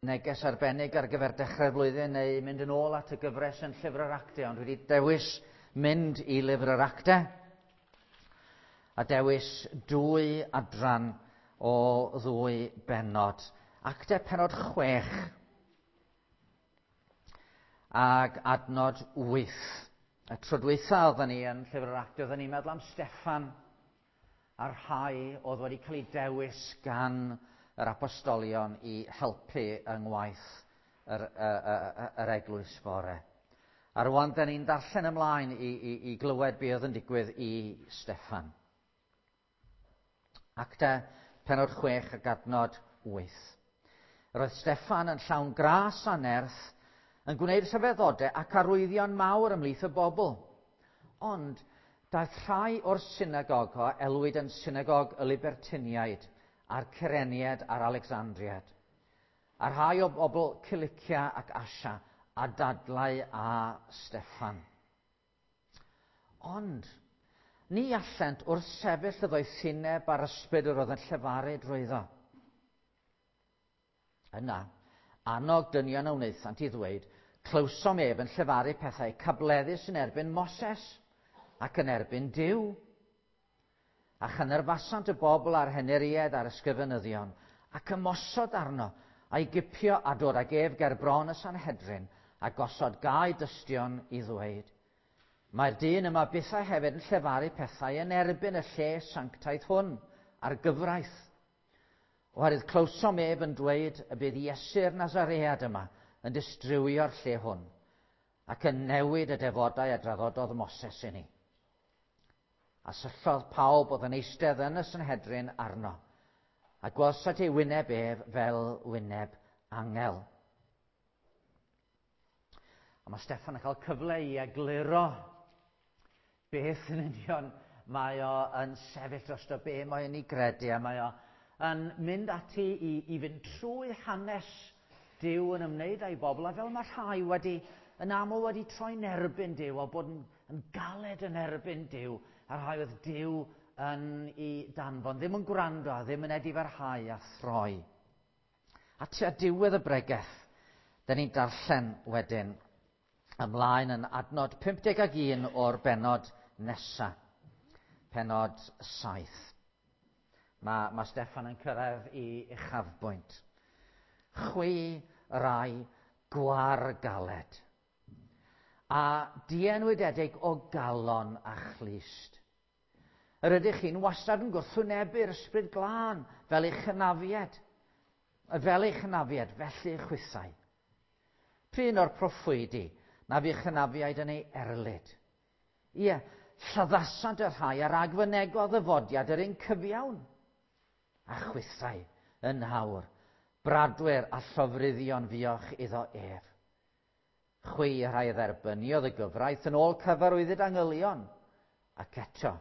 Neges arbennig ar gyfer dechrau'r flwyddyn neu mynd yn ôl at y gyfres yn Llyfr yr Actau, ond dwi wedi dewis mynd i Lyfr yr Actau a dewis dwy adran o ddwy bennod. Actau pennod 6 ag adnod 8. Y tro dwytha oedden ni yn Llyfr yr Actau, oedden ni'n meddwl am Steffan a'r rhai oedd wedi cael eu dewis gan yr apostolion i helpu yng ngwaith yr, yr, yr eglwys fore. A rwan, da ni'n darllen ymlaen i, i, i glywed be oedd yn digwydd i Steffan. Actau pennod 6 ac adnod 8. Yr oedd Steffan yn llawn gras a nerth, yn gwneud rhyfeddodau ac arwyddion mawr ymhlith y bobl. Ond daeth rhai o'r synagog a elwid yn synagog y Libertiniaid a'r Cyreniaid a'r Alexandriaid, a rhai o bobl Cilicia ac Asia a dadlau â Steffan. Ond ni allent wrth sefyll y ddoethineb a'r ysbryd yr oedd yn llefaru drwyddo. Yna, annog dynion a wnaethant i ddweud, clywsom ef yn llefaru pethau cableddus yn erbyn Moses ac yn erbyn Duw. A chynyrfasant y bobl a'r henuriaid a'r ysgrifenyddion, ac ymosod arno, a'i gipio a dod ag ef ger bron y Sanhedrin, a gosod gau dystion i ddweud, Mae'r dyn yma bythau hefyd yn llefaru pethau yn erbyn y lle sanctaidd hwn, a'r gyfraith. Oherwydd clywsom ef yn dweud y bydd Iesu'r Nazaread yma yn distrywio'r lle hwn, ac yn newid y defodau a draddododd Moses i ni. A syllodd pawb oedd yn eistedd yn y Sanhedrin arno, a gwelsant ei wyneb ef fel wyneb angel. A mae Steffan yn cael cyfle i egluro beth yn union mae o yn sefyll drosto, be mae o'n ei gredu, a mae o yn mynd ati i, i fynd trwy hanes Duw yn ymwneud â'i bobl, a fel mae rhai wedi, yn aml wedi troi'n erbyn Duw, a bod yn, yn galed yn erbyn Duw, a rhai oedd Duw yn ei danfon, ddim yn gwrando a ddim yn edifarhau a throi. A tua diwedd y bregeth, da ni'n darllen wedyn ymlaen yn adnod 51 o'r bennod nesa, pennod 7. Mae, mae Steffan yn cyrraedd i uchafbwynt. Chwi rai gwar galed, a dienwydedig o galon a chlust. Yr ydych chi'n wastad yn gwrthwynebu'r ysbryd glân fel eich hynafied, fel eich hynafied, felly chwithau. Prin o'r proffwydi na fu'ch hynafiaid yn ei erlid. Ie, lladdasant y rhai a ragfynegodd ddyfodiad yr un cyfiawn, a chwithau yn awr, bradwyr a llofruddion fuoch iddo ef. Chwi y rhai dderbyniodd y gyfraith yn ôl cyfarwyddyd angylion, ac eto,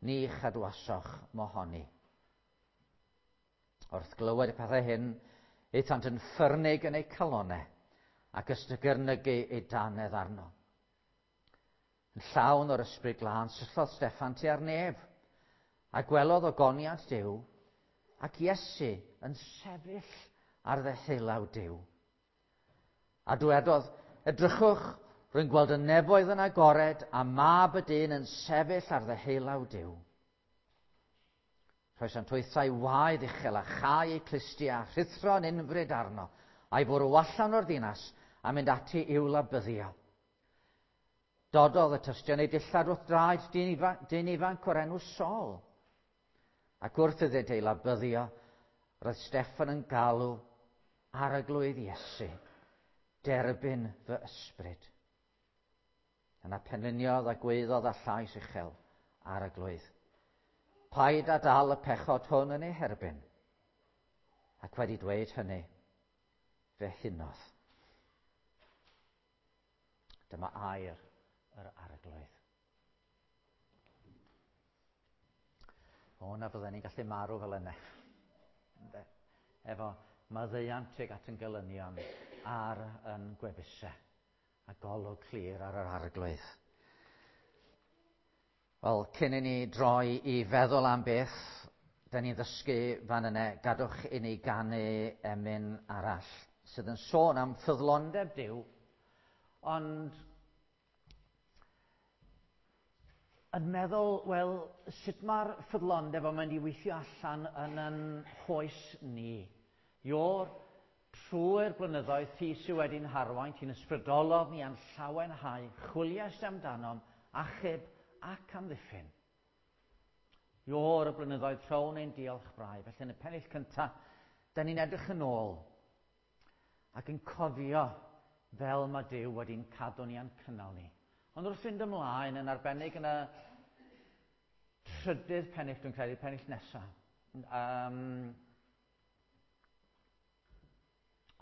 ni chadwasoch mohoni. Wrth glywed y pethau hyn, aethant yn ffyrnig yn eu calonau ac ystygyrnygu eu dannedd arno. Yn llawn o'r ysbryd glân, syllodd Steffan tua'r nef, a gwelodd ogoniant Duw, ac Iesu yn sefyll ar ddeheulaw Duw. A dwedodd, edrychwch, rwy'n gweld y nefoedd yn agored a mab y dyn yn sefyll ar ddeheulaw Duw. Rhoesant hwythau waedd uchel a chau eu clustiau a rhuthro yn unfryd arno, a'i fwrw allan o'r ddinas a mynd ati i'w labyddio. Dododd y tystion ei dillad wrth draed dyn ifanc, dyn ifanc o'r enw Saul. Ac wrth iddynt ei labyddio, roedd Steffan yn galw Arglwydd Iesu, derbyn fy ysbryd. Yna penliniodd a gwaeddodd â llais uchel, Arglwydd, paid â dal y pechod hwn yn ei herbyn. Ac wedi dweud hynny, fe hunodd. Dyma air yr Arglwydd. O, na fydden ni'n gallu marw fel yna. Efo maddeuant tuag at yn gelynion ar yn gwefusau a golwg clir ar yr Arglwydd. Wel, cyn i ni droi i feddwl am beth da ni'n ddysgu fan yna, gadwch i ni ganu emyn arall. sydd yn sôn am ffyddlondeb Duw, ond yn meddwl, wel, sut mae'r ffyddlondeb yn mynd i weithio allan yn yn hoes ni? Ior, trwy'r blynyddoedd ti sydd wedi'n harwain, ti'n ysbrydolodd ni a'n llawenhau, chwiliais amdanom, achub ac amddiffyn. Ior, y blynyddoedd rhown ein diolch brau. Felly yn y pennill cyntaf, da ni'n edrych yn ôl ac yn cofio fel mae Duw wedi'n cadw ni a'n cynnal ni. Ond wrth fynd ymlaen, yn arbennig yn y trydydd pennill, dwi'n credu, pennill nesaf,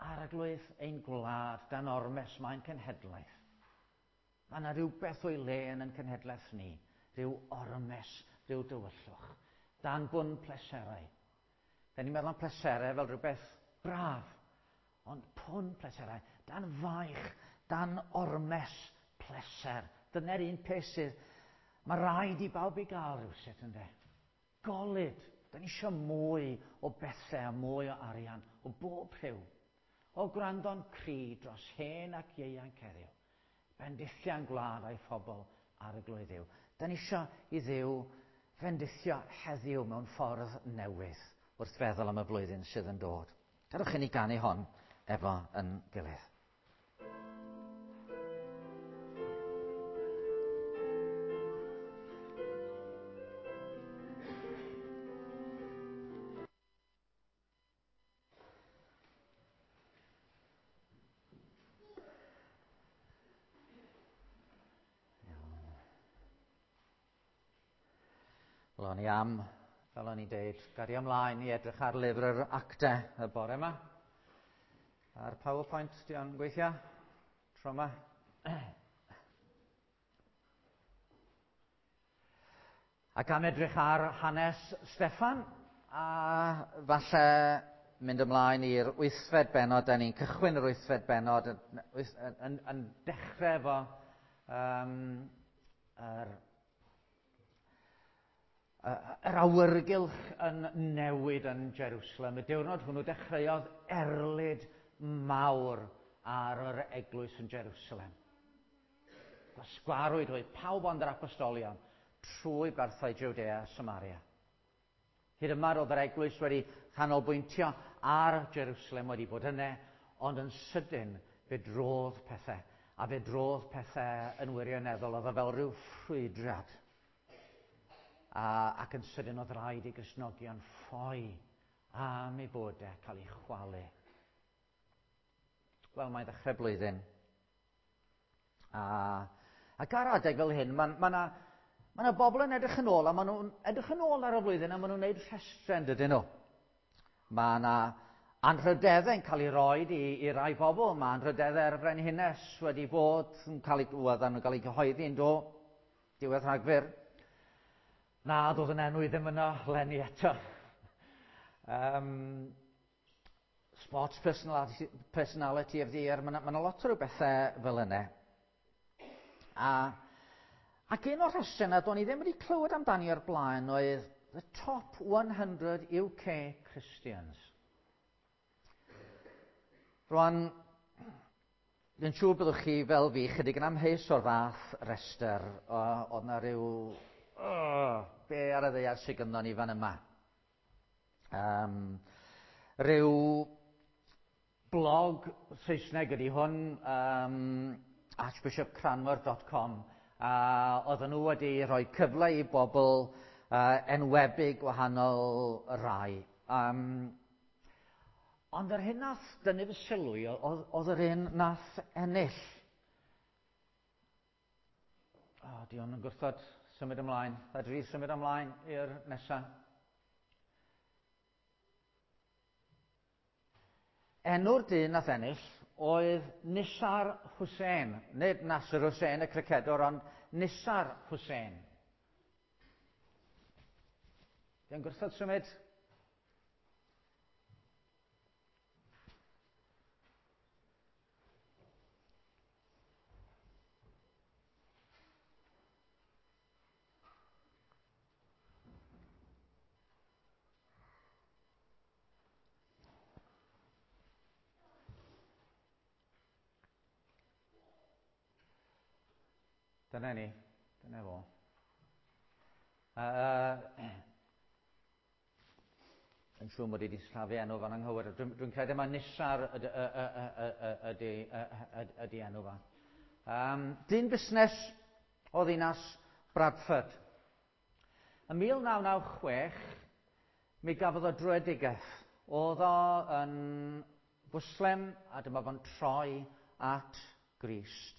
Arglwydd ein gwlad dan ormes mae'n cenhedlaeth. Mae yna rhywbeth o'i le yn ein cenhedlaeth ni, rhyw ormes, rhyw dywyllwch, dan bwn pleserau. Da ni'n meddwl am pleserau fel rhywbeth braf, ond pwn pleserau, dan faich, dan ormes pleser. Dyna'r un peth sydd, mae rhaid i bawb i gael rhywsut, ynddo. Golud. Da ni eisiau mwy o bethau a mwy o arian, o bob rhyw. O gwrando'n cri dros hen ac ieuanc heddiw. Bendithiau'n gwlad a'i phobl ar y glwyddiw. Da ni eisiau i Dduw fendithio heddiw mewn ffordd newydd wrth feddwl am y flwyddyn sydd yn dod. Gadewch i ni ganu hon efo yn gilydd. Wel, o'n i am, fel o'n i'n deud, gario ymlaen i edrych ar lyfr yr actau y bore yma. A'r PowerPoint, di o'n gweithio? Tro yma. Ac am edrych ar hanes Steffan, a falle mynd ymlaen i'r wythfed bennod, da ni'n cychwyn yr wythfed bennod yn, yn, yn, yn dechrau efo yr awyrgylch yn newid yn Jerusalem. Y diwrnod hwnnw dechreuodd erlid mawr ar yr eglwys yn Jerusalem. Gwasgwarwyd oedd pawb ond yr apostolion trwy barthau Judea a Samaria. Hyd yma roedd yr eglwys wedi canolbwyntio ar Jerusalem wedi bod yna, ond yn sydyn fe drodd pethau, a fe drodd pethau yn wirioneddol, oedd o fel rhyw ffrwydrad. Ac yn sydyn oedd rhaid i Gristnogion ffoi am ei bod e cael ei chwalu. Wel, mae'n ddechrau blwyddyn. Ac ar adeg fel hyn, mae ma ma bobl yn edrych yn ôl, a maen nhw'n edrych yn ôl ar y flwyddyn, a maen nhw'n gwneud rhestrau, dydyn nhw. Mae yna anrhydeddau'n cael ei roed i rai bobl. Mae anrhydeddau'r Frenhines wedi bod yn cael ei, wel, nhw'n cael ei gyhoeddi yn do, diwedd Rhagfyr. Na, doedd yn enw i ddim yno leni eto. Sports personality of the year, mae yna lot o ryw bethau fel yna. Ac un o'r rhestr yna, do'n i ddim wedi clywed amdani o'r blaen, oedd The Top 100 UK Christians. Rwan, dwi'n siŵr byddwch chi fel fi chydig yn amheus o'r fath restr. Oedd na rhyw... be ar y ddaear sydd gynnon ni fan yma? Rhyw blog Saesneg ydy hwn, archbishopcranmer.com, a oedden nhw wedi rhoi cyfle i bobl enwebu gwahanol rai. Ond yr hyn nath dynnu fy sylw i oedd yr un nath ennill. Di hwn yn gwrthod symud ymlaen. Fedri symud ymlaen i'r nesaf. Enw'r dyn nath ennill oedd Nisar Hussain. Nid Nasser Hussain y cricedwr, ond Nisar Hussain. Di'n gwrthod symud? Dyna ni. Dyna fo. Yn siŵr mod i wedi sillafu enw fan anghywir. Dwi'n dwi credu mae Nisar ydy enw fa. Dyn busnes o ddinas Bradford. Yn 1996, mi gafodd o dröedigaeth. Oedd o yn Fwslem a dyma fo'n troi at Grist.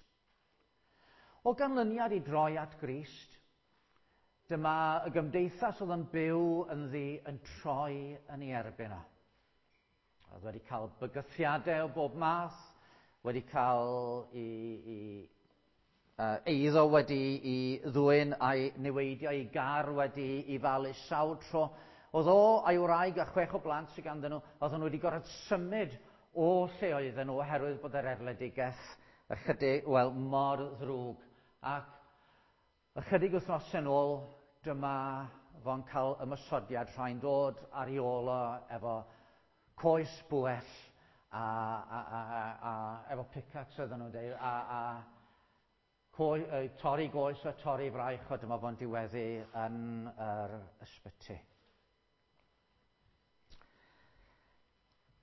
O ganlyniad i droi at Grist, dyma y gymdeithas oedd yn byw ynddi yn troi yn ei erbyn o. Oedd wedi cael bygythiadau o bob math, wedi cael i eiddo wedi i ddwyn a'i niweidio, ei gar wedi i falu sawl tro. Oedd o a'i wraig a 6 o blant sydd ganddyn nhw, oedden nhw wedi gorfod symud o lle oedden nhw oherwydd bod yr erledigaeth ychydig, wel, mor ddrwg. Ac ychydig wythnosau yn ôl, dyma fo'n cael ymosodiad rhai'n dod ar ei ôl o efo coes bwell a efo pickaxe oedden nhw'n dweud, a torri goes a torri fraich o, dyma fo'n diweddu yn yr ysbyty.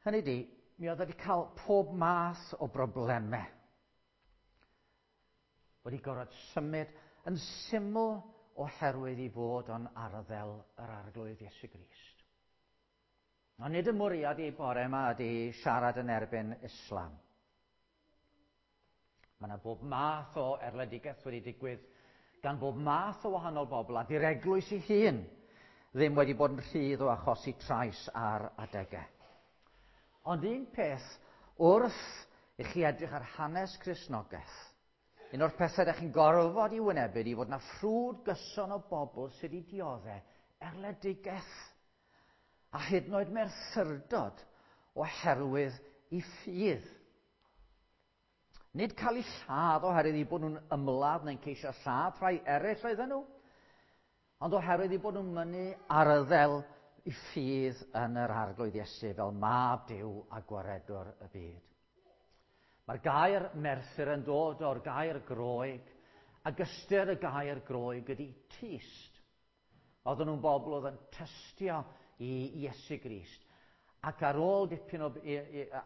Hynny di, mi oedd wedi cael pob math o broblemau. Wedi gorfod symud yn syml oherwydd i fod o'n arddel yr Arglwydd Iesu Grist. Ond nid y mwriad i bore yma ydy siarad yn erbyn Islam. Mae yna bob math o erledigaeth wedi digwydd gan bob math o wahanol bobl, a di'r eglwys ei hun ddim wedi bod yn rhydd o achosi trais ar adegau. Ond un peth wrth i chi edrych ar hanes Cristnogaeth, un o'r pethau ydych chi'n gorfod i wynebu ydy fod yna ffrwd gyson o bobl sydd wedi dioddef erledigaeth a hyd yn oed merthyrdod oherwydd i ffydd. Nid cael eu lladd oherwydd eu bod nhw'n ymladd neu'n ceisio lladd rhai eraill oedden nhw, ond oherwydd eu bod nhw'n mynnu arddel i ffydd yn yr Arglwydd Iesu fel mab Duw a gwaredwr y byd. Mae'r gair merthyr yn dod o'r gair Groeg, ac ystyr y gair Groeg ydy tyst. Oedden nhw'n bobl oedd yn tystio i Iesu Grist. Ac ar ôl dipyn o,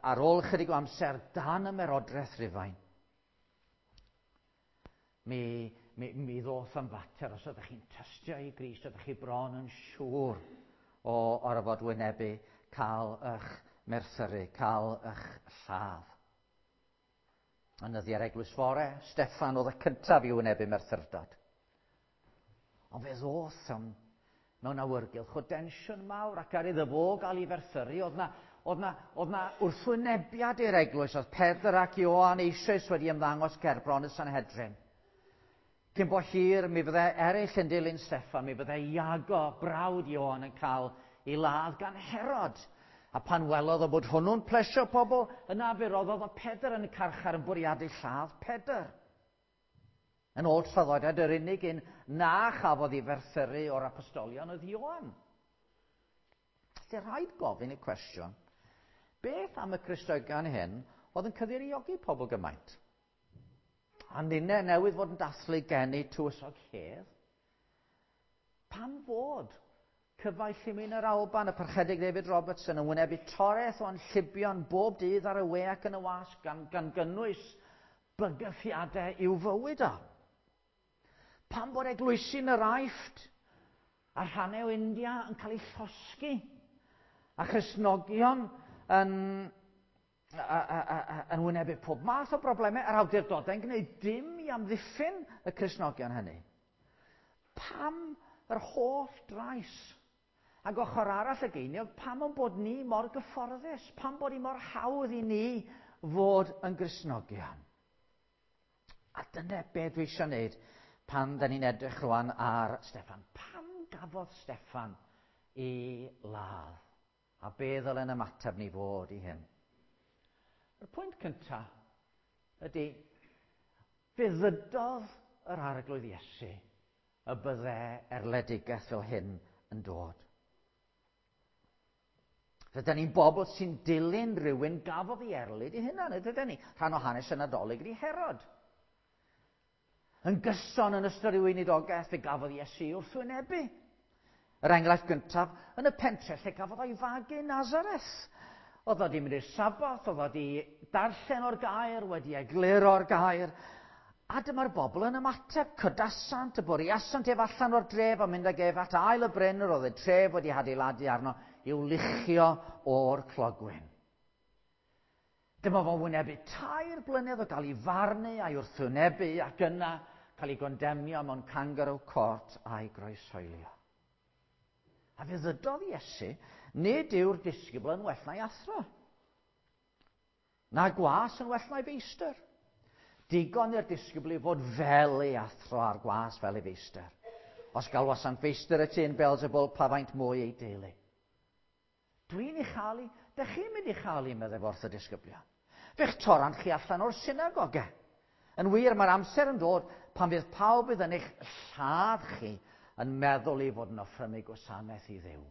ar ôl ychydig o amser dan ymerodraeth Rufain, mi ddoth am fater, os ydych chi'n tystio i Grist, ydych chi bron yn siŵr o orfod wynebu cael eich merthyru, cael eich lladd. Yn nyddiau'r Eglwys Fore, Steffan oedd y cyntaf i wynebu merthyrdod. Ond fe ddoth am mewn awyrgylch o densiwn mawr, ac ar iddo fo gael ei ferthyru, oedd na wrthwynebiad i'r eglwys, oedd Pedr ac Ioan eisoes wedi ymddangos gerbron y Sanhedrin. Cyn bo hir, mi fydde eraill yn dilyn Steffan, mi fydde Iago, brawd Ioan, yn cael ei ladd gan Herod. A pan welodd o bod hwnnw'n plesio pobl, yna fe roddodd o Pedr yn y carchar yn bwriadu lladd Pedr. Yn ôl traddodiad, yr unig un na chafodd ei ferthyru o'r apostolion oedd Ioan. Felly rhaid gofyn y cwestiwn, beth am y Cristnogion hyn oedd yn cyfeiriogi pobl gymaint? A ninne newydd fod yn dathlu geni tywysog Hedd? Pam fod cyfaill i mi yn yr Alban, y Parchedig David Robertson, yn wynebu toreth o anllibion bob dydd ar y we ac yn y wasg, gan gynnwys bygythiadau i'w fywyd o? Pam bod eglwysi yn yr Aifft a rhannau o India yn cael eu llosgi a Christnogion yn wynebu pob math o broblemau, a'r awdurdodau'n gwneud dim i amddiffyn y Cristnogion hynny? Pam yr holl drais? Ac ochr arall y geiniog, pam o'n bod ni mor gyfforddus? Pam bod ni mor hawdd i ni fod yn Gristnogion? A dyna be dwi eisiau gwneud pan da ni'n edrych rwan ar Steffan. Pam gafodd Steffan ei ladd? A be ddylen ymateb ni fod i hyn? Y pwynt cyntaf ydy, fe ddydodd yr Arglwydd Iesu y bydde erledigaeth fel hyn yn dod. Rydyn ni'n bobl sy'n dilyn rhywun gafodd ei erlid i hunan, ydyn ni? Rhan o hanes y Nadolig ydy Herod. Yn gyson yn ystod ei weinidogaeth, fe gafodd Iesu wrthwynebu. Yr enghraifft gyntaf, yn y pentre lle gafodd o'i fagu Nazareth. Oedd o wedi mynd i'r Saboth, oedd o wedi darllen o'r gair, wedi egluro'r gair. A dyma'r bobl yn ymateb, cydasant, y bwriasant ef allan o'r dref a mynd ag ef at ail y bryn yr oedd y tref wedi hadeiladu arno i'w luchio o'r clogwyn. Dyma fo'n wynebu 3 blynedd o gael ei farnu a'i wrthwynebu ac yna cael ei gondemnio mewn kangaroo court a'i groeshoelio. A fe ddydodd Iesu, nid yw'r disgybl yn well na'i athro, na gwas yn well na'i feistr. Digon i'r disgybl i fod fel ei athro a'r gwas fel ei feistr. Os galwasant feistr y tŷ yn Beelzebul, pa faint mwy ei deulu. Dwi'n ei chael i, dych chi'n mynd i chael i, meddai wrth y disgyblion. Fe'ch torant chi allan o'r synagoge. Yn wir, mae'r amser yn dod pan fydd pawb fydd yn eich lladd chi yn meddwl ei fod yn offrymu gwasanaeth i Dduw.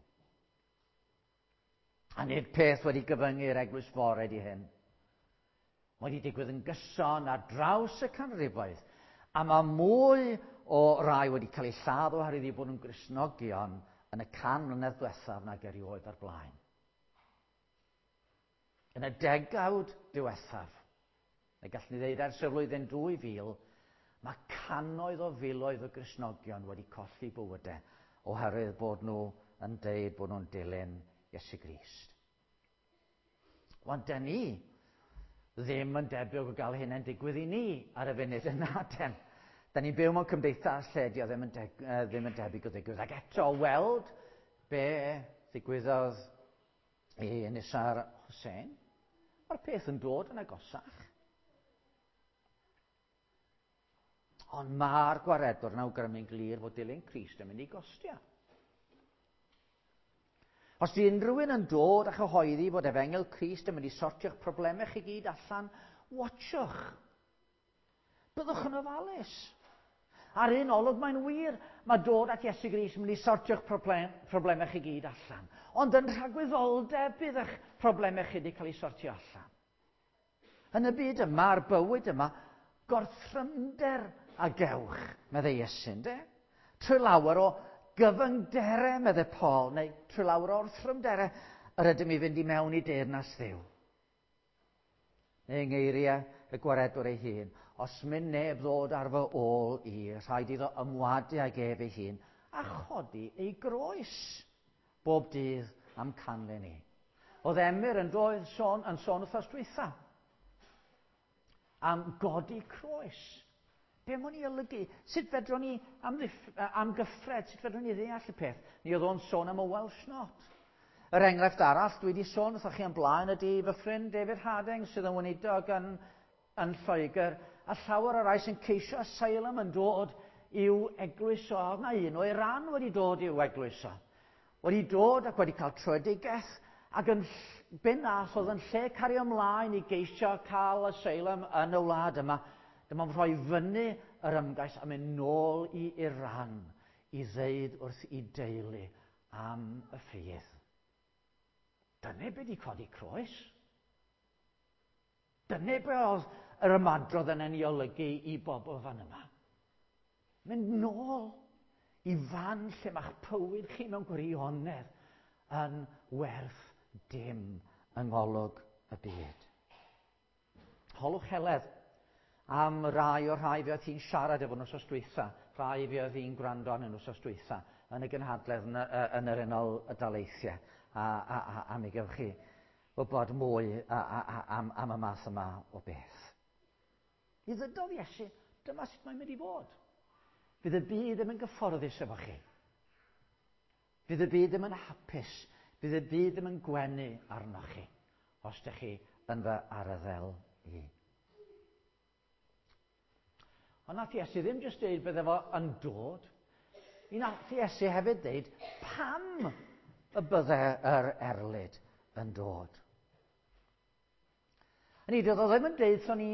A nid peth wedi gyfyngu'r eglwys fore di hyn. Mae wedi digwydd yn gyson ar draws y canrifoedd, a mae mwy o rai wedi cael eu lladd oherwydd eu bod nhw'n Gristnogion yn y 100 mlynedd diwethaf nag erioed o'r blaen. Yn y degawd diwethaf, neu gallwn ni ddeud ers y flwyddyn 2000, mae cannoedd o filoedd o Gristnogion wedi colli bywydau oherwydd bod nhw yn deud bod nhw'n dilyn Iesu Grist. Wan, dyn ni ddim yn debyg o gael hynny'n digwydd i ni ar y funud yna, den. Da ni'n byw mewn cymdeithas lle di o ddim yn, ddim yn debyg o ddigwydd. Ac eto, weld be ddigwyddodd i Nisar Hussein, mae'r peth yn dod yn agosach. Ond mae'r gwaredwr yn awgrymu'n glir fod dilyn Crist yn mynd i gostio. Os di unrhyw un yn dod a chyhoeddi fod efengyl Crist yn mynd i sortio'ch problemau chi gyd allan, watchwch. Byddwch yn ofalus. Ar un olwg mae'n wir, mae dod at Iesu Grist yn mynd i sortio'ch problemau chi gyd allan. Ond yn rhagwyddoldeb bydd eich problemau chi wedi cael eu sortio allan. Yn y byd yma, a'r bywyd yma, gorthrymder a gewch, meddai Iesu, ynde? Trwy lawer o gyfyngderau, meddai Paul, neu trwy lawer o orthrymderau, yr ydym i fynd i mewn i deyrnas Dduw. Neu yng ngeiriau y gwaredwr ei hun, os mynd neb ddod ar fy ôl i, rhaid iddo ymwadu ag ef ei hun a chodi ei groes bob dydd am canlyn i. Oedd Emyr yn doedd sôn, yn sôn wythnos dwytha am godi croes. Be mae'n ei olygu? Sut fedrwn ni amgyffred? Sut fedrwn ni ddeall y peth? Ni oedd o'n sôn am y Welsh Not. Yr enghraifft arall dwi wedi sôn wrthoch chi am blaen ydy fy ffrind David Harding sydd yn weinidog yn Lloegr, a llawer o rai sy'n ceisio asylum yn dod i'w eglwys o. Mae un o Iran wedi dod i'w eglwys o. Wedi dod ac wedi cael tröedigaeth, ac yn be nath oedd yn lle cario ymlaen i geisio cael asylum yn y wlad yma, dyma'n rhoi fyny yr ymgais a mynd nôl i Iran i ddeud wrth i deulu am y ffydd. Dyna be di codi croes. Dyna be oedd yr ymadrodd yn ei olygu i bobl fan yma. Mynd nôl i fan lle mae'ch bywyd chi mewn gwirionedd yn werth dim yng ngolwg y byd. Holwch Heledd am rai o'r rhai fe oedd hi'n siarad efo nhw dwytha, rhai fe oedd hi'n gwrando arnyn nhw dwytha yn y gynhadledd yn yr Unol Daleithiau, a mi gewch chi wybod mwy am y math yma o beth. Mi ddydodd Iesu, dyma sut mae'n mynd i fod. Fydd y byd ddim yn gyfforddus efo chi. Fydd y byd ddim yn hapus. Fydd y byd ddim yn gwenu arnoch chi, os ydych chi yn fy arddel i. Ond nath Iesu ddim jyst dweud bydde fo yn dod. Mi nath Iesu hefyd dweud pam y bydde yr erlid yn dod. Hynny, doedd o ddim yn deud wrthon ni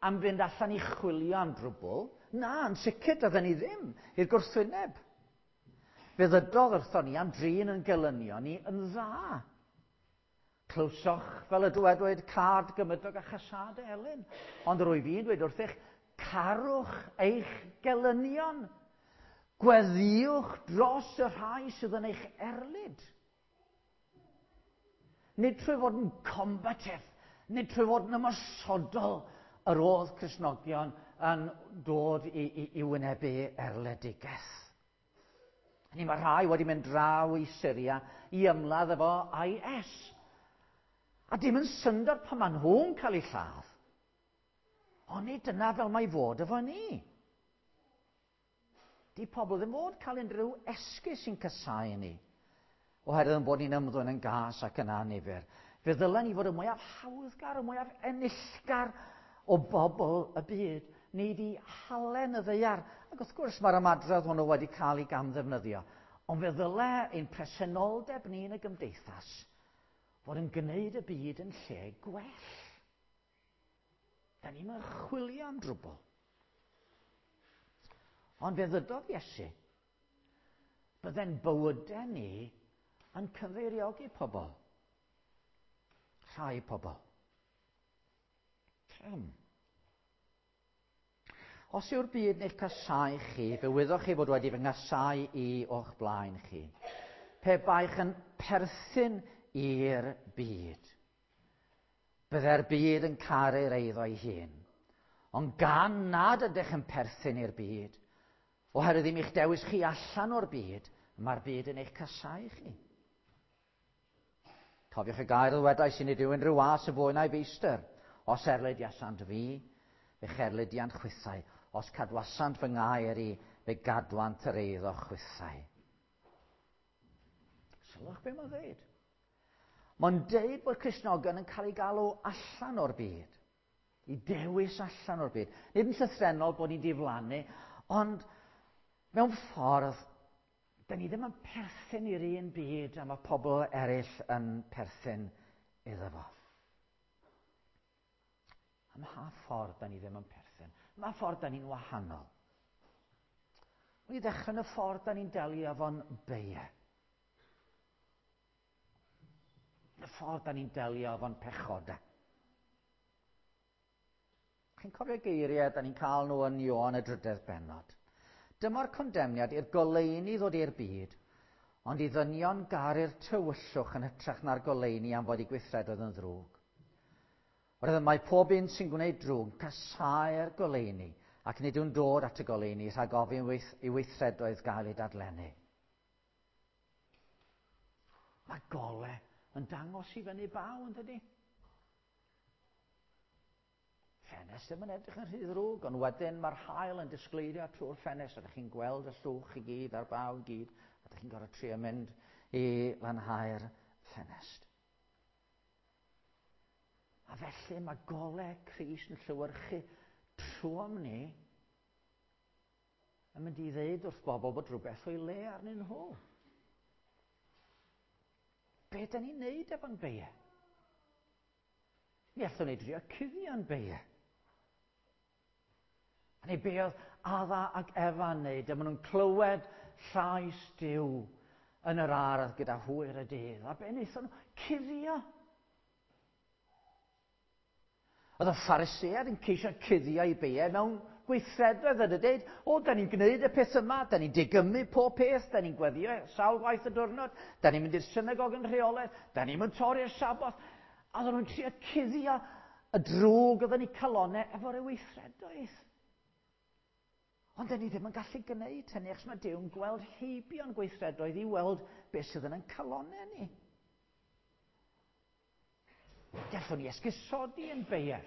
am fynd allan i chwilio am drwbl. Na, yn sicr doedden ni ddim, i'r gwrthwyneb. Fe ddydodd wrthon ni am drin yn gelynion ni yn dda. Clywsoch, fel y dywedwyd, cad gymydog a chasad Elin. Ond rwyf i'n dweud wrthych, Carwch eich gelynion. Gweddïwch dros y rhai sydd yn eich erlid. Nid trwy fod yn combative, nid trwy fod yn ymosodol yr oedd Cristnogion yn dod i wynebu erledigaeth. Ni mae rhai wedi mynd draw i Syria i ymladd efo IS. A dim yn syndod pan maen nhw'n cael eu lladd. Ond nid dyna fel mae fod efo ni. Di pobl ddim fod cael unrhyw esgus sy'n casáu ni, oherwydd yn bod ni'n ymddwyn yn gas ac yn annifyr. Fe ddylen ni fod y mwyaf hawddgar, y mwyaf enillgar o bobl y byd. Ni di halen y ddaear. Ac wrth gwrs mae'r ymadrodd hwnnw wedi cael ei gamddefnyddio. Ond fe ddyle ein presenoldeb ni yn y gymdeithas fod yn gwneud y byd yn lle gwell. Da ni'n mynd chwilio am drwbl. Ond fe ddydodd Iesu, bydde'n bywydau ni yn cyfeiriogi pobl. Rhai pobl. Pam? Os yw'r byd yn eich casáu chi, fe wyddoch chi fod wedi fy nghasau i o'ch blaen chi. Pe baech yn perthyn i'r byd, bydde'r byd yn caru'r eiddo ei hun. Ond gan nad ydych yn perthyn i'r byd, oherwydd ddim eich dewis chi allan o'r byd, mae'r byd yn eich casau chi. Cofiwch y gair ddywedais i, nid yw unrhyw was yn fwy na'i feistr. Os erlidiasant fi, fe cherlidiant chwithau. Os cadwasant fy ngair i, fe gadwant yr eiddo chwithau. Sylwch be mae'n dweud. Mae'n deud bod Cristnogion yn cael ei galw allan o'r byd. I dewis allan o'r byd. Nid yn llythrennol bod ni'n diflannu, ond mewn ffordd, da ni ddim yn perthyn i'r un byd a mae pobl eraill yn perthyn iddo fo. Ym mha ffordd da ni ddim yn perthyn? Ym mha ffordd da ni'n wahanol? Wel, i ddechrau yn y ffordd da ni'n delio efo'n beie. Y ffordd da ni'n delio efo'n pechodau. Chi'n cofio geiriau da ni'n cael nhw yn Ioan y drydedd bennod. Dyma'r condemniad i'r goleuni ddod i'r byd, ond i ddynion garu'r tywyllwch yn hytrach na'r goleuni am fod eu gweithredoedd yn ddrwg. Oherwydd mae pob un sy'n gwneud drwg yn casáu'r goleuni, ac nid yw'n dod at y goleuni rhag ofyn i weithredoedd gael eu dadlennu. Mae gole yn dangos i fyny baw, yn dydy? Ffenest ddim yn edrych yn rhy ddrwg, ond wedyn mae'r haul yn disgleirio trwy'r ffenest, a ydych chi'n gweld y llwch i gyd a'r baw i gyd, a ydych chi'n gorfod trio mynd i lanhau'r ffenest. A felly mae gole Crist yn llewyrchu trwom ni yn mynd i ddeud wrth bobl bod rhywbeth o'i le arnyn nhw. Be da ni'n neud efo'n beie? Mi allwn ni drio cuddio'n beie. A neu be oedd Adda ac Efa'n neud, a maen nhw'n clywed llais Duw yn yr ardd gyda hwyr y dydd. A be wnaethon nhw? Cuddio. Oedd y Phariseaid yn ceisio cuddio eu beiau mewn gweithredoedd yn y deud, o, da ni'n gwneud y peth yma, da ni'n digymu pob peth, da ni'n gweddio sawl gwaith y diwrnod, da ni'n mynd i'r synagog yn rheolaidd, da ni'n mynd torri'r Saboth. A oedden nhw'n trio cuddio y drwg oedd yn eu calonnau efo'r weithredoedd. Ond da ni ddim yn gallu gwneud hynny, achos mae Duw'n gweld heibio'n gweithredoedd i weld beth sydd yn ein calonnau ni. Gallwn ni esgusodi yn beie.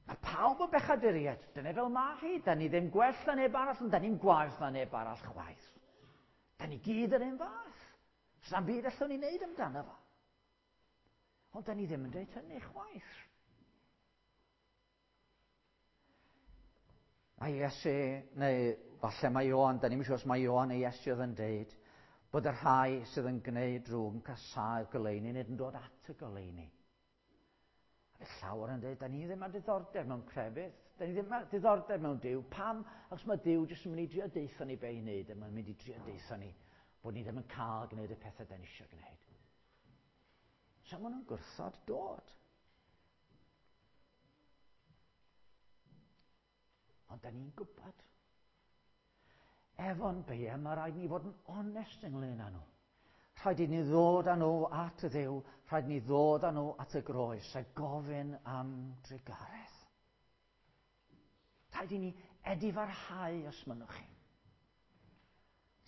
Mae pawb yn bechaduriaid. Dyna fel mae hi. Da ni ddim gwell na neb arall, ond da ni'n gwaeth na neb arall chwaith. Da ni gyd yr un fath. Sa'm byd allwn ni wneud amdano fo. Ond da ni ddim yn dweud hynny chwaith. Mae Iesu, neu falle mae Ioan, da ni'n siŵr os mae Ioan neu Iesu oedd yn deud, bod y rhai sydd yn gwneud drwg yn casáu'r goleuni, nid yn dod at y goleuni. A fe llawer yn dweud, da ni ddim â diddordeb mewn crefydd, da ni ddim â diddordeb mewn Duw. Pam? Achos mae Duw jyst yn mynd i drio deutha ni be i wneud, a mae'n mynd i drio deutha ni bod ni ddim yn cael gwneud y pethau da ni eisiau gwneud. So maen nhw'n gwrthod dod. Ond da ni'n gwybod. Efo'n beia, mae rhaid ni fod yn onest ynglyn â nhw. Rhaid i ni ddod â nhw at y Dduw, rhaid ni ddod â nhw at y groes a gofyn am drugaredd. Rhaid i ni edifarhau os mynnwch chi.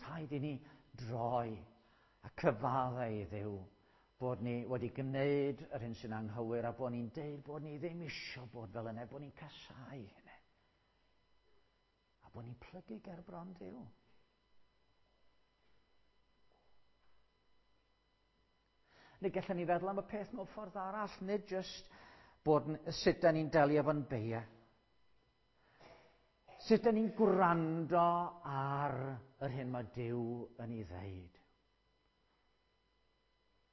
Rhaid i ni droi a cyfaddau i Dduw bod ni wedi gwneud yr hyn sy'n anghywir a bod ni'n deud bod ni ddim eisiau bod fel yna, bod ni'n casau hynny. A bod ni'n plygu ger bron Duw. Neu gallwn ni feddwl am y peth mewn ffordd arall, nid jyst bod sut da ni'n delio efo'n beia. Sut da ni'n gwrando ar yr hyn mae Duw yn ei ddeud.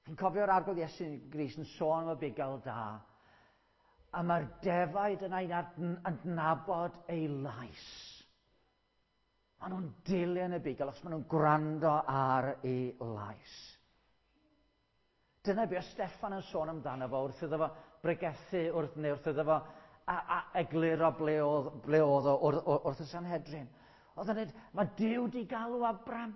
Chi'n cofio'r Arglwydd Iesu Grist yn sôn am y bugail da, a mae'r defaid yna i'n adnabod ei lais. Maen nhw'n dilyn y bugail os maen nhw'n gwrando ar ei lais. Dyna beth Steffan yn sôn amdano fo wrth iddo fo bregethu wrth, neu wrth iddo fo a, a egluro ble oedd, ble oedd o wrth, wrth y Sanhedrin. Oedd yn dweud, mae Duw di galw Abram.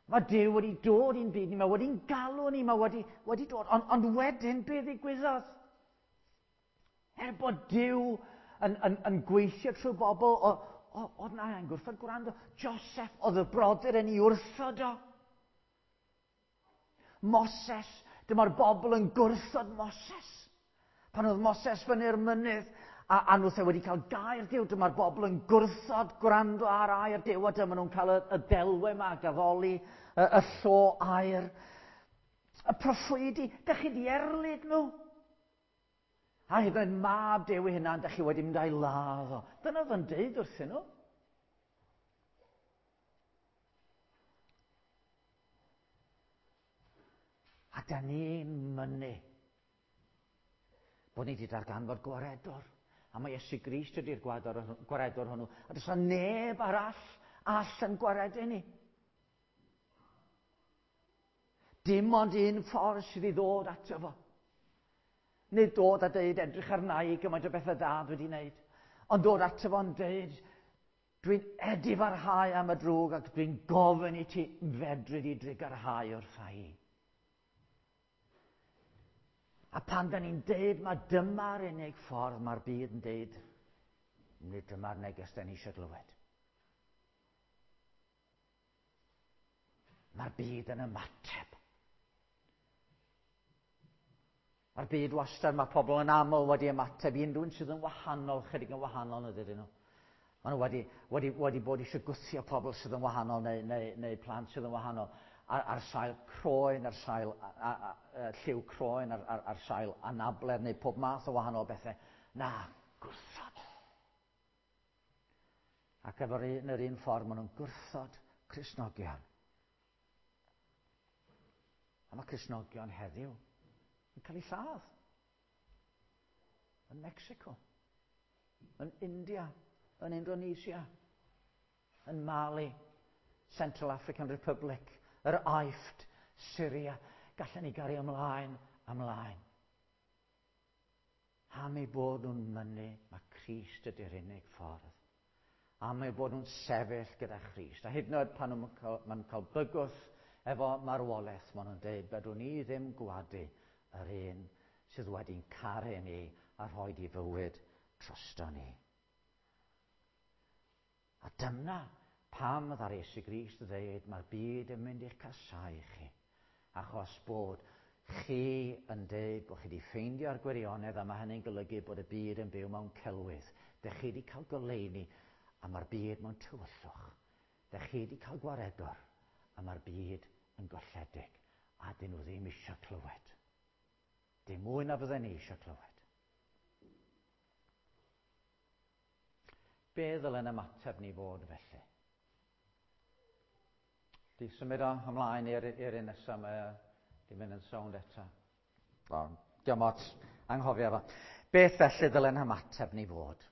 Mae Duw wedi dod i'n byd ni, mae wedi'n galw ni, mae wedi, wedi dod. Ond, ond wedyn, be ddigwyddodd? Er bod Duw yn, yn, yn gweithio trwy bobl, oedd na yn gwrthod gwrando. Joseph, oedd y brodyr yn ei wrthod o. Moses, dyma'r bobl yn gwrthod Moses. Pan oedd Moses fyny'r mynydd, a, a nhw wedi cael gair Duw, dyma'r bobl yn gwrthod gwrando ar air Duw, a dyma nhw'n cael y, y delwe yma, gaddoli, y, y llo air. Y proffwydi, dych chi di erlid nhw. A hyd yn oed mab Duw ei hunan, dych chi wedi mynd a'i ladd o. Dyna oedd yn deud wrthyn nhw. A da ni'n mynnu bod ni wedi darganfod gwaredwr. A mae Iesu Grist ydy'r gwaredwr hwnnw. A does na neb arall all yn gwaredu ni. Dim ond un ffordd sydd i ddod ato fo. Nid dod a deud edrych arna i gymaint o bethau da dwi wedi wneud. Ond dod ato fo'n deud, dwi'n edifarhau am y drwg ac dwi'n gofyn i ti fedru di drugarhau wrtha i. A pan da ni'n deud mae dyma'r unig ffordd mae'r byd yn deud, nid dyma'r neges da ni eisiau glywed. Mae'r byd yn ymateb. Mae'r byd wastad, mae pobl yn aml wedi ymateb i unrhyw un sydd yn wahanol, chydig yn wahanol na dydyn nhw. Maen nhw wedi, wedi, wedi bod eisiau gwthio pobl sydd yn wahanol neu, neu, neu plant sydd yn wahanol ar, ar sail croen, ar sail a, a, a, lliw croen, ar, ar, ar sail anabledd neu pob math o wahanol bethau. Na, gwrthod. Ac efo'r un, yr un ffordd maen nhw'n gwrthod Cristnogion. A mae Cristnogion heddiw yn cael eu lladd. Yn Mexico, yn India, yn Indonesia, yn Mali, Central African Republic, yr Aifft, Syria. Gallen ni gario ymlaen, ymlaen. Am eu bod nhw'n mynnu mae Crist ydy'r unig ffordd. Am eu bod nhw'n sefyll gyda Christ. A hyd yn oed pan nhw'n cael, maen nhw'n cael bygwth efo marwolaeth, maen nhw'n dweud, fedrwn ni ddim gwadu yr un sydd wedi'n caru ni a rhoi di fywyd drosto ni. A dyna pam ddaru Iesu Grist ddeud mae'r byd yn mynd i'ch casau chi, achos bod chi yn deud bod chi wedi ffeindio'r gwirionedd a mae hynny'n golygu bod y byd yn byw mewn celwydd. Dych chi wedi cael goleuni a mae'r byd mewn tywyllwch. Dych chi wedi cael gwaredwr a mae'r byd yn golledig a dyn nhw ddim eisiau clywed. Dim mwy na fydden ni eisiau clywed. Be ddylen ymateb ni fod felly? Di symud o ymlaen i'r i'r un nesaf, mae di mynd yn sownd eto. O, diolch ots, anghofio fo. Beth felly ddylen ymateb ni fod?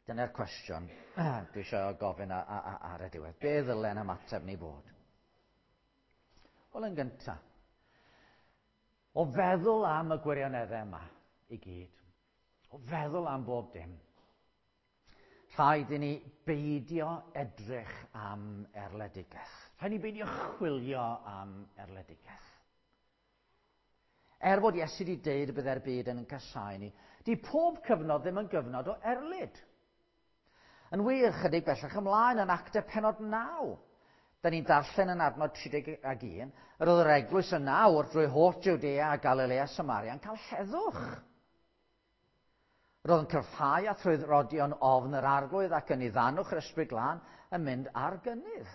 Dyna'r cwestiwn dwi eisiau gofyn ar y diwedd. Be ddylen ymateb ni fod? Wel, yn gyntaf, o feddwl am y gwirioneddau yma i gyd, o feddwl am bob dim, rhaid i ni beidio edrych am erledigaeth. Rhaid i ni beidio chwilio am erledigaeth. Er bod Iesu wedi deud y byddai'r byd yn casáu ni, di pob cyfnod ddim yn gyfnod o erlid. Yn wir, chydig bellach ymlaen yn Actau pennod 9, da ni'n darllen yn adnod 31, yr oedd yr eglwys yn nawr drwy holl Jwdea a Galilea a Samaria yn cael heddwch. Roedd yn cryfhau a thrwy rodion ofn yr arglwydd ac yn iddanwch yr ysbryd glân yn mynd ar gynnydd.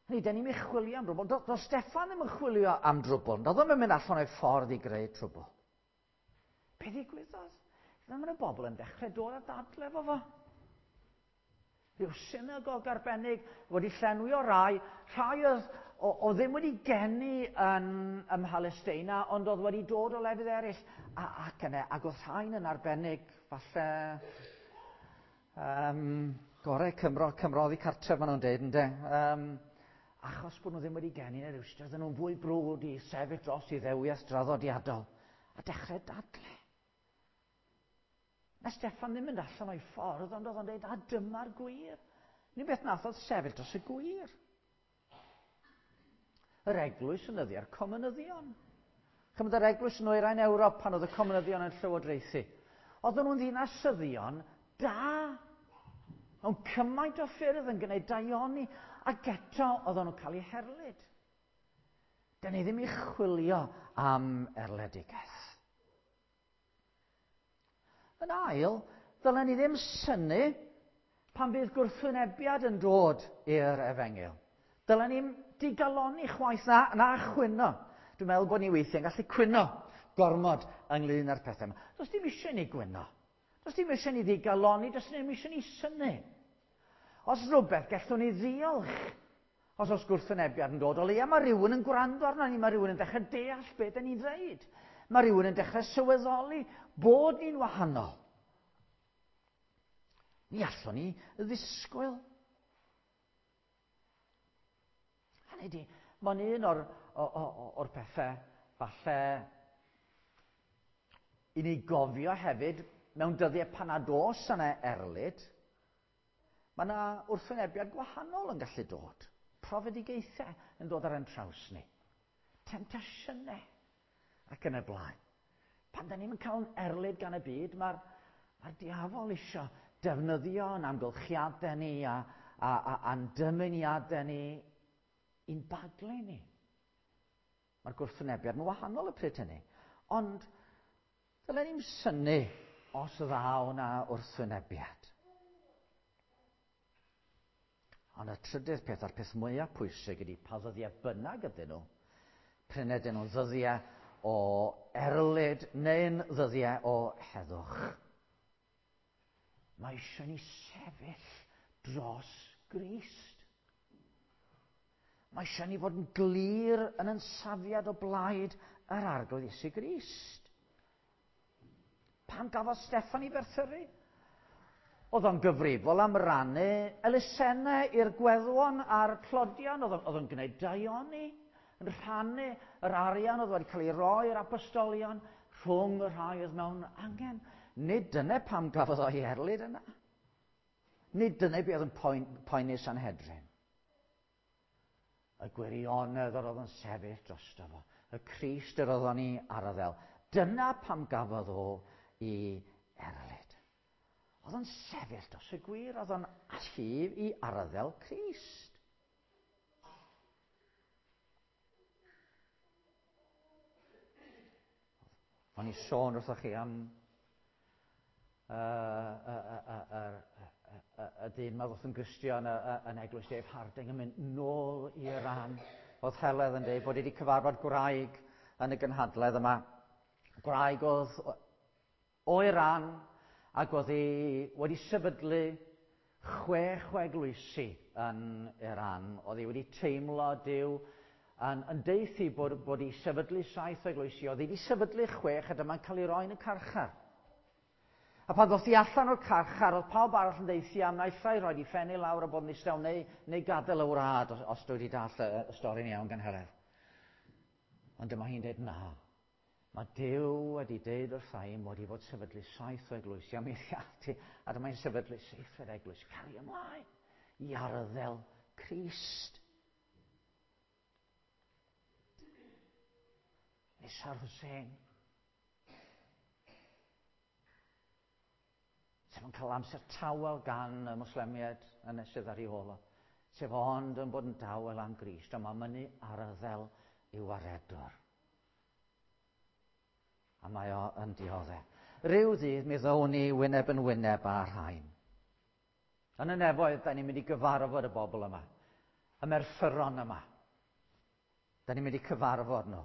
Hynny, da ni'n mynd chwilio am drwbl. Doedd Steffan ddim yn chwilio am drwbl. Doedd ddim yn mynd allan o'i ffordd i greu trwbl. Be ddigwyddodd? Dyma y bobl yn dechrau dod a dadle efo fo. Rhyw synagog arbennig wedi llenwi o rai, rhai oedd o ddim wedi geni yn ym Mhalesteina, ond oedd wedi dod o lefydd eraill. A, ac yna, ac oedd rhain yn arbennig, falle, gorau Cymro, Cymro oddi cartref, maen nhw'n deud, ynde? Achos bod nhw ddim wedi geni yn yr Iwstra, oedden nhw'n fwy brwd i sefyll dros i ddewias draddodiadol a dechrau dadle. Na Steffan ddim mynd allan o'i ffordd, ond oedd o'n dweud, a dyma'r gwir. Ni beth nath oedd sefyll dros y gwir. Yr eglwys yn yddiau'r comunyddion. Chymryd yr eglwys yn oerain Ewrop pan oedd y comunyddion yn llywodraethu. Oedden nhw'n ddinasyddion da. Mewn cymaint o ffyrdd yn gwneud daioni, ac eto oedden nhw'n cael eu herlid. Dyn ni ddim i chwilio am erledigaeth. Yn ail, ddylen ni ddim synnu pan fydd gwrthwynebiad yn dod i'r efengyl. Dylen ni'n digalonni chwaith na, na chwyno. Dwi'n meddwl bod ni weithiau'n gallu cwyno gormod ynglyn â'r pethau yma. Does dim eisiau ni gwyno. Does dim eisiau ni ddigalonni, does dim eisiau ni synnu. Os rhywbeth, gallwn ni ddiolch. Os oes gwrthwynebiad yn dod, o leia mae rhywun yn gwrando arno ni, mae rhywun yn dechrau deall beth da ni'n dweud. Mae rhywun yn dechrau sylweddoli bod ni'n wahanol. Ni allwn ni ddisgwyl. Hynny ydi, mae'n un o'r, o'r pethau falle i ni gofio hefyd mewn dyddiau pan nad oes yna erlid, mae yna wrthwynebiad gwahanol yn gallu dod. Profedigaethau yn dod ar ein traws ni. Temtasiynau ac yn y blaen. Pan da ni'n cael yn erlid gan y byd, mae'r mae diafol isio defnyddio yn amgylchiadau ni a'n dymuniadau ni i'n baglu ni. Mae'r gwrthwynebiad yn wahanol y pryd hynny. Ond dylen ni'n synnu os ddaw na wrthwynebiad. Ond y trydydd peth, a'r peth mwyaf pwysig ydy pa ddyddiau bynnag ydyn nhw, prin ydyn nhw'n ddyddiau o erlid neu'n ddyddiau o heddwch. Mae eisiau ni sefyll dros Grist. Mae eisiau ni fod yn glir yn yn safiad o blaid yr Arglwydd Iesu Grist. Pam gafodd Steffan ei ferthyru? Oedd o'n gyfrifol am rannu elusennau i'r gweddwon a'r tlodion. Oedd o'n gwneud daioni, yn rhannu yr arian oedd wedi cael ei roi i'r apostolion rhwng y rhai oedd mewn angen. Nid dyna pam gafodd o'i erlid yna. Nid dyna beth oedd yn poeni Sanhedrin. Y gwirionedd yr oedd yn sefyll drosto fo. Y Crist yr oedd o'n ei arddel. Dyna pam gafodd o i erlid. Oedd o'n sefyll dros y gwir, oedd o'n allu i arddel Crist. O'n i sôn wrthoch chi am y dyn ma ddoth yn Gristion yn eglwys Dave Harding yn mynd nôl i Iran. Oedd Heledd yn dweud bod wedi cyfarfod gwraig yn y gynhadledd yma. Gwraig oedd o Iran ac oedd hi wedi sefydlu 6 o eglwysi yn Iran. Oedd hi wedi teimlo Duw yn deithi bod hi sefydlu 7 o eglwysi. Oedd hi wedi sefydlu 6 a dyma'n cael ei roi yn y carchar. A pan ddoth hi allan o'r carchar, oedd pawb arall yn deithi am naill ai rhoi di ffennu lawr a bod yn ddistaw neu gadael y wlad, os dwi wedi dall y stori'n iawn gan Heledd. Ond dyma hi'n dweud, na. Mae Duw wedi deud wrtha i mod i fod sefydlu 7 o eglwysi, a mi ati, a dyma'n sefydlu 7 eglwys. Cario ymlaen i arddel Crist. Nisar Hussein. Sef yn cael amser tawel gan y Moslemiaid yn y sydd ar ei ôl o. Sef ond yn bod yn dawel am Grist, a mae'n mynnu arddel i'w waredwr. A mae o yn dioddef. Rhyw ddydd mi ddown ni wyneb yn wyneb â'r rhain. Yn y nefoedd, da ni'n mynd i gyfarfod y bobl yma. Y merthyron yma. Da ni'n mynd i cyfarfod nhw.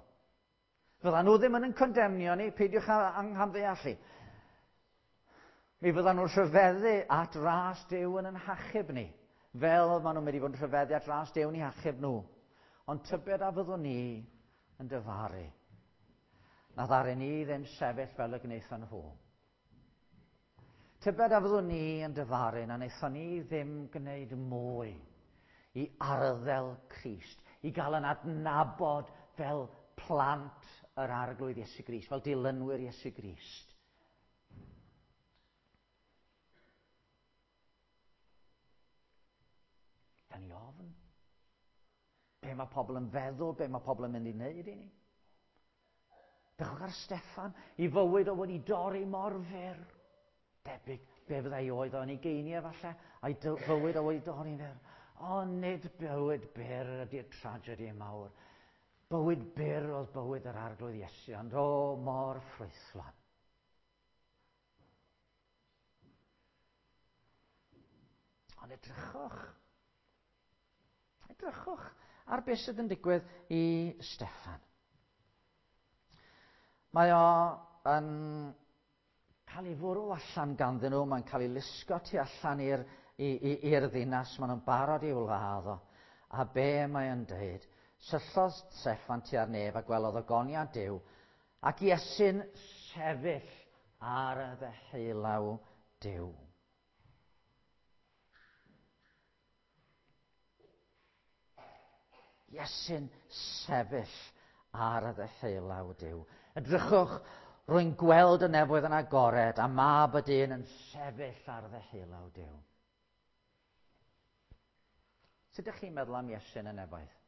Fyddan nhw ddim yn yn condemnio ni, peidiwch â anghamddeallu. Mi fyddan nhw'n rhyfeddu at ras Duw yn yn hachub ni, fel maen nhw'n mynd i fod yn rhyfeddu at ras Duw yn eu hachub nhw. Ond tybed a fyddwn ni yn dyfaru. Na ddaru ni ddim sefyll fel y gwnaethon nhw. Tybed a fyddwn ni yn dyfaru na wnaethon ni ddim gwneud mwy i arddel Crist, i gael yn adnabod fel plant yr Arglwydd Iesu Grist, fel dilynwyr Iesu Grist. Da ni ofn. Be mae pobl yn feddwl, be mae pobl yn mynd i wneud i ni. Dechrau ar Steffan, i fywyd o wedi dorri mor fyr. Debyg, be fyddai oedd o'n ei geiniau falle, a'i fywyd o wedi dorri'n fyr. Ond nid bywyd byr ydy'r tragedy mawr. Bywyd byr oedd bywyd yr Arglwydd Iesu, ond o mor ffrwythlon. Ond edrychwch. Edrychwch ar beth sydd yn digwydd i Steffan. Mae o yn cael ei fwrw allan ganddyn nhw, mae'n cael ei lusgo tu allan i'r ddinas, maen nhw'n barod i'w ladd o. A be mae o'n dweud? Syllodd Steffan tua'r nef a gwelodd ogoniad Duw, ac Iesu'n sefyll ar y ddeheulaw Duw. Iesu'n sefyll ar y ddeheulaw Duw. Edrychwch, rwy'n gweld y nefoedd yn agored a mab y dyn yn sefyll ar ddeheulaw Duw. Sut ydych chi'n meddwl am Iesu'n y nefoedd?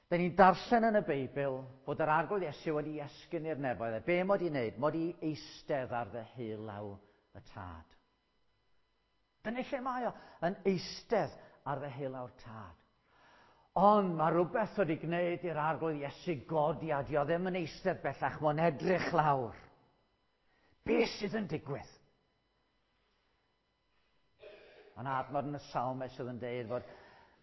Da ni'n darllen yn y Beibl bod yr Arglwydd Iesu wedi esgyn i'r nefoedd. Be mod i'n wneud? Mod i eistedd ar ddeheulaw y Tad. Dyna lle mae o, yn eistedd ar ddeheulaw'r Tad. Ond mae rhywbeth wedi gwneud i'r Arglwydd Iesu godi a dio ddim yn eistedd bellach, mae'n edrych lawr. Be sydd yn digwydd? Mae'n adnod yn y Salmau sydd yn deud fod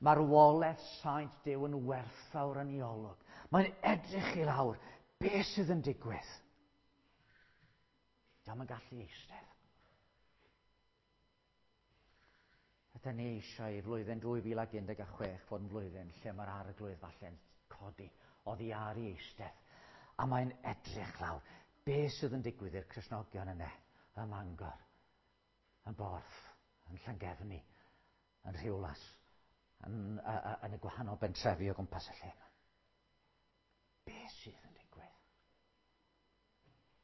marwolaeth saint Duw yn werthfawr yn ei olwg. Mae'n edrych i lawr. Be sydd yn digwydd? Dio'm yn gallu eistedd. Ydyn ni eisiau i flwyddyn 2016 fod yn flwyddyn lle mae'r Arglwydd falle'n codi oddi ar ei eistedd. A mae'n edrych lawr. Be sydd yn digwydd i'r Cristnogion yna, ym Mangor, yn Borth, yn Llangefni, yn Rhiwlas, yn y gwahanol bentrefi o gwmpas y lle yma. Be sydd yn digwydd?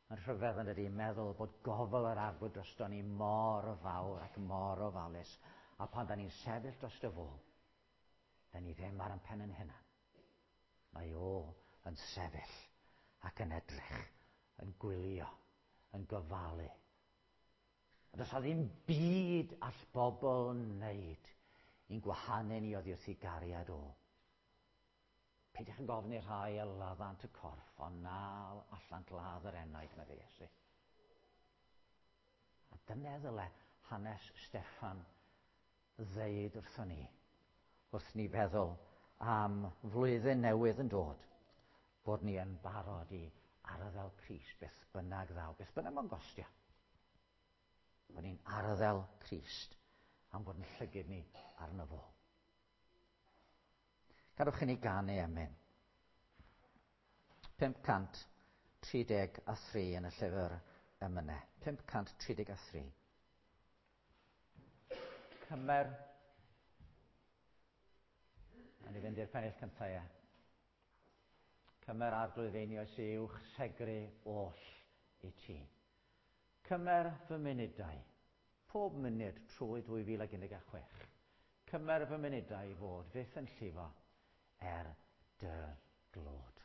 Mae'n rhyfedd yn dydi meddwl bod gofal yr Arglwydd drosto ni mor fawr ac mor ofalus, a pan da ni'n sefyll dros y fo, da ni ddim ar ein pen yn hunan. Mae o yn sefyll ac yn edrych, yn gwylio, yn gofalu. A does 'na ddim byd all bobl wneud i'n gwahanu ni oddi wrth ei gariad o. Peidiwch yn gofyn i'r rhai a laddant y corff, ond na allant ladd yr enaid, meddai Iesu. A dyna ddyle hanes Steffan ddeud wrthon ni, wrth ni feddwl am flwyddyn newydd yn dod, bod ni yn barod i arddel Crist, beth bynnag ddaw, beth bynnag mae'n gostio. Bod ni'n arddel Crist am bod yn llygyd ni arno fo. Gadewch i ni ganu emyn. 533 yn y llyfr emynau. 533. Cymer. A ni fynd i'r pennill cyntaf, ie. Cymer Arglwydd einioes i'w chysegru oll i ti. Cymer fy munudau, pob munud trwy 2016. Cymer fy munudau i fod fyth yn llifo er dy glod.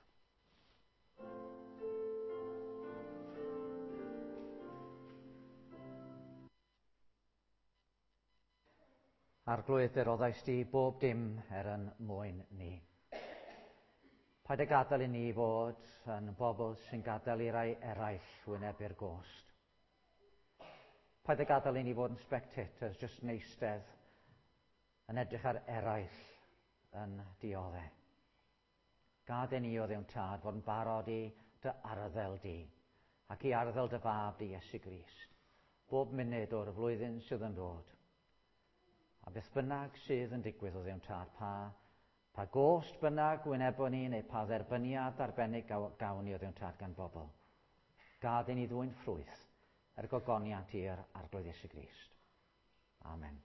Arglwydd, dy roddais di bob dim er yn mwyn ni. Paid â gadael i ni fod yn bobl sy'n gadael i rai eraill wynebu'r gost. Paid â gadael i ni fod yn spectators, jyst yn eistedd, yn edrych ar eraill yn dioddef. Gad i ni, o Dduw'n Tad, fod yn barod i dy arddel di, ac i arddel dy fab di Iesu Grist, bob munud o'r flwyddyn sydd yn dod. A beth bynnag sydd yn digwydd, o Dduw'n Tad, pa gost bynnag wynebwn ni, neu pa dderbyniad arbennig gawn ni, o Dduw'n Tad, gan bobl. Gad i ni ddwyn ffrwyth er gogoniant i'r Arglwydd Iesu Grist. Amen.